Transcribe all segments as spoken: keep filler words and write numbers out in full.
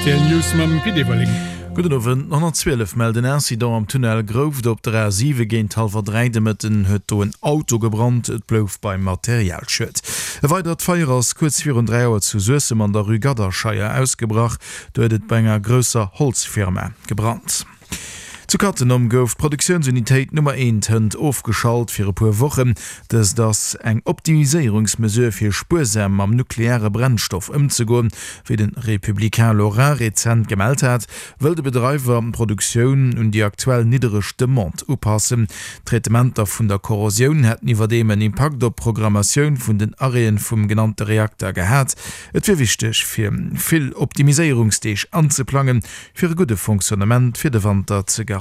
Rtl News mam Pit Everling. Gudden Owend. Honnertzwielef mellt en Incident am Tunnel Grouft op der A siwe Géint hallwer dräi de Mëtten huet do en Auto gebrannt. Et blouf beim Materialschued. E weidert Feier ass kuerz virun dräi Auer zu Suessem an der Rue Gadderscheier ausgebrach. Do huet et bei enger grousser Holzfirma gebrannt. Zu Cattenom gouf d'Produktiounsunitéit Nummer eent hënt ofgeschalt fir e puer Wochen. Dëst ass eng Optimiséierungsmesure fir spuersam mam nukleare Brennstoff ëmzegoen. Wéi de Républicain Lorrain rezent gemellt hat, wëll de Bedreiwer d'Produktioun un déi aktuell niddereg Demande upassen. D'Traitementer vun der Korrosioun hätten iwwerdeem en Impakt op d'Programmatioun vun den Arrêten vum genannte Reakter gehat. Et wier wichteg fir vill Optimiséierungsdeeg anzeplangen, fir e gudde Fonctionnement fir de Wanter ze garantéieren.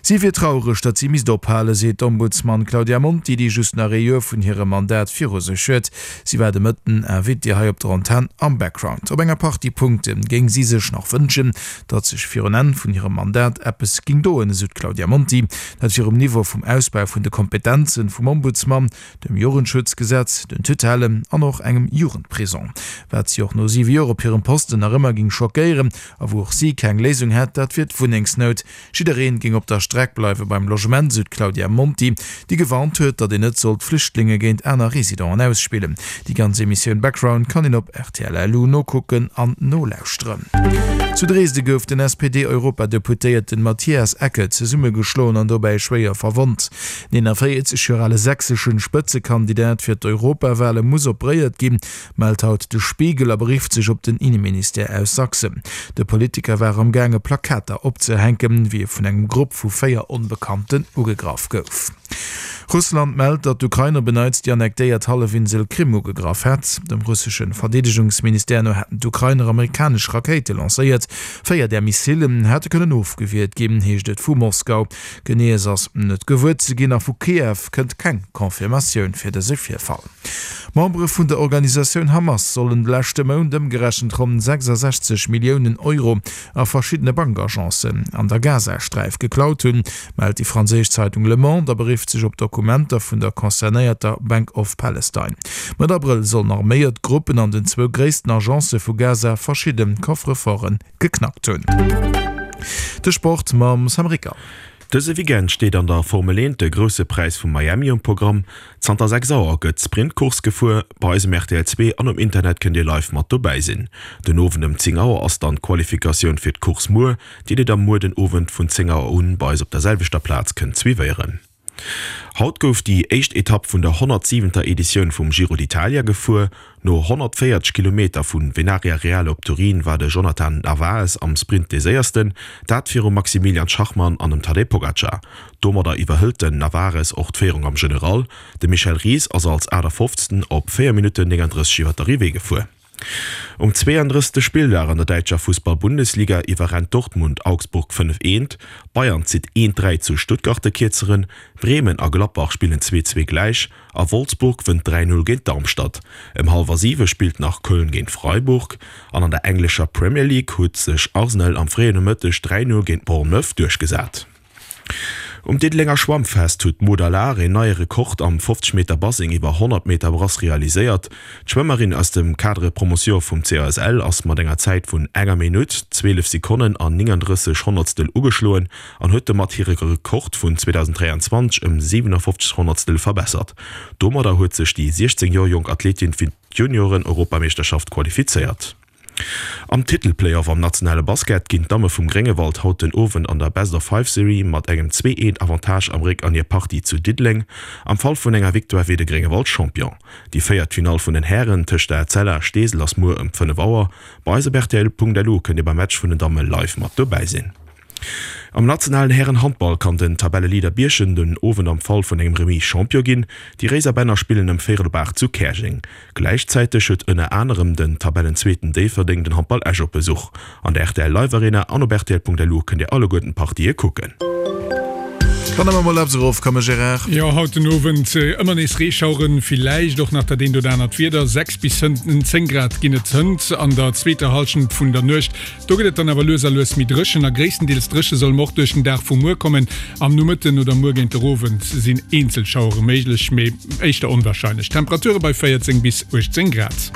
Si wier traureg, datt si misst ophalen, seet d'Ombudsman Claudia Monti, déi just nach ee Joer vun hirem Mandat viru sech huet. Si war de Mëtten Invitée hei op der Antenn am Background. Op enger Partie Punkte géing si sech nach wënschen, datt sech virun Enn vun hirem Mandat eppes géing doen, esou d'Claudia Monti. Dat wier um Niveau vum Ausbau vun de Kompetenze vum Ombudsman, dem Jugendschutzgesetz, den Tutellen an och engem Jugendprisong. Wat si och no siwe Joer op hirem Posten nach ëmmer géing schockéieren a wou och si keng Léisung hätt, dat wier d'Wunnengsnout. Jiddereen géing op der Streck bleiwe beim Logement, esou d'Claudia Monti, déi gewarnt huet, datt een net sollt Flüchtlinge géint aner Residenten ausspillen. Déi ganz Emissioun Background kann een op rtl. Lu nokucken an nolauschteren. Zu Dresde gouf den S P D-Europadeputéierten Matthias Ecke zesummegeschloen an dobäi schwéier verwonnt. Den eenanvéierzeg Joer ale sächseschen Spëtzekandidat fir d'Europawale muss operéiert ginn, mellt haut de Spiegel a berifft sech op den Inneministère aus Sachsen. De Politiker war am gaange Plakater opzehänken, wéi e vun engem Grupp vu véier Onbekannten ugegraff gouf. Russland mellt, datt d'Ukrain op en Neits déi annektéiert Hallefinsel Krim ugegraff hätt. Dem russesche Verdeedegungsministère no hätten d'Ukrainer amerikanesch Rakéite lancéiert. Véier där Missillen hätte kënnen ofgewiert ginn, heescht et vu Moskau. Geneeës ass net gewuer ze ginn a vu Kiew kënnt keng Confirmatioun fir dëse Virfall. Membere vun der Organisatioun Hamas sollen de leschte Mount ëmgerechent ronn sechsasechzeg Milliounen Euro a verschiddene Bankagencen an der Gazasträif geklaut hunn, mellt déi franséisch Zeitung Le Monde a berifft sech op Dokumenter vun der concernéierter Bank of Palestine. Mëtt Abrëll sollen arméiert Gruppen an den zwou gréissten Agencë vu Gaza verschidde Coffre-forte geknackt hunn. De Sport mam Sam Ricker. Dëse Weekend steet an der Formel eent de Grousse Präis vu Miami um Programm. Zanter sechs Auer gëtt d'Sprintcourse gefuer. Bei eis um rtl zwee an um Internet kënnt Dir live mat dobäi sinn. Den Owend ëm zéng Auer ass dann d'Qualifikatioun fir d'Course muer, déi Dir da muer den Owend vun zéng Auer un bei eis op der selwechter Plaz kënnt suivéieren. Haut gouf déi éischt Etapp vun der honnertsiwenter Editioun vum Giro d'Italia gefuer. No honnertvéierzeg Kilometer vu Venaria Reale op Turin war de Jhonatan Narvaez am Sprint dee Séiersten, dat virum Maximilian Schachmann an dem Tadej Pogacar. Domadder iwwerhëlt den Narvaez och d'Féierung am General. De Michel Ries ass als aachtafofzten op véier Minutten nénganddrësseg iwwer d'Arrivée gefuer. Um zweeëndrëssegste Spilldag an der däitscher Fussball-Bundesliga iwwerrennt Dortmund Augsburg fënnef eent, Bayern zitt eent dräi zu Stuttgart de Kierzeren, Bremen a Gladbach spillen zwee zwee gläich a Wolfsburg wënnt dräi null géint Darmstadt. Ëm hallwer siwe spillt nach Köln géint Freiburg an an der englescher Premier League huet sech Arsenal am fréien Nomëtteg dräi null géint Bournemouth duerchgesat. Um Diddelenger Schwammfest huet d'Maud Allard een neie Rekord am fofzeg Meter Baseng iwwer honnert Meter Brass realiséiert. D'Schwëmmerin aus dem Cadre Promotion vum C A S L ass mat enger Zäit vun enger Minutt, zwielef Sekonnen an nénganddrësseg Honnertstel ugeschloen an huet domat hire Rekord vun zweedausenddräianzwanzeg ëm siwenafofzeg Honnertstel verbessert. Domadder huet sech déi siechzéng Joer jonk Athletin fir d'Junioren-Europameeschterschaft qualifizéiert. Am Titel-Playoff am nationale Basket ginn d'Damme vum Gréngewald haut den Owend an der Best-of-Five-Serie mat engem zwee-eent Avantage am Réck an hir Partie zu Diddeleng. Am Fall vun enger Victoire wier de Gréngewald Champion. Déi véiert Finall vun den Hären tëscht der A C L a Steesel ass muer ëm fënnef Auer. Bei eis op rtl.lu kënnt dir beim Match vun den Damme live mat dobäi sinn. Am nationalen Hären-Handball kann den Tabelleleader Bierchem den Owend am Fall vun engem Remis Champion ginn. Déi Réiserbänner spillen ëm véierel op aacht zu Käerjeng. Gläichzäiteg huet ënner anerem den Tabellenzweeten Déifferdeng den Handball Esch op Besuch. An der rtl Live Arena an op rtl.lu kënnt Dir alleguerten d'Partië kucken. Dann awer mol eppes erofkomme, Gérard. Jo, haut den Owend ëmmer nees Reeschaueren, villäicht och nach dat eent oder anert Wieder. Sechs bis zéng Grad ginn et hënt an der zweeter Hallschent vun der Nuecht. Do gëtt et dann awer lues a lues méi dréchen a gréisstendeels dréche soll mer och duerch den Dag vu muer kommen. Am Nomëtten oder muer géint der Owend sinn eenzel Schauere méiglech, mee éischter onwarscheinlech. Temperature bei véierzéng bis uechtzéng Grad.